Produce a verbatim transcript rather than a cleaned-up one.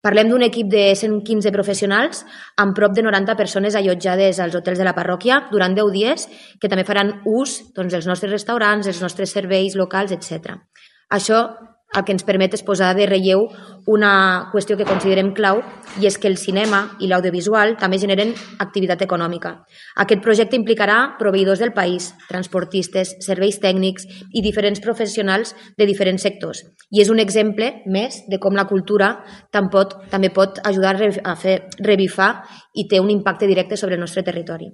Parlem d'un equip de cent quinze professionals amb prop de noranta persones allotjades als hotels de la parròquia durant deu dies que també faran ús doncs, dels nostres restaurants, dels nostres serveis locals, etcètera. Això el que ens permet és posar de relleu una qüestió que considerem clau i és que el cinema i l'audiovisual també generen activitat econòmica. Aquest projecte implicarà proveïdors del país, transportistes, serveis tècnics i diferents professionals de diferents sectors. I és un exemple més de com la cultura també pot ajudar a fer revifar i té un impacte directe sobre el nostre territori.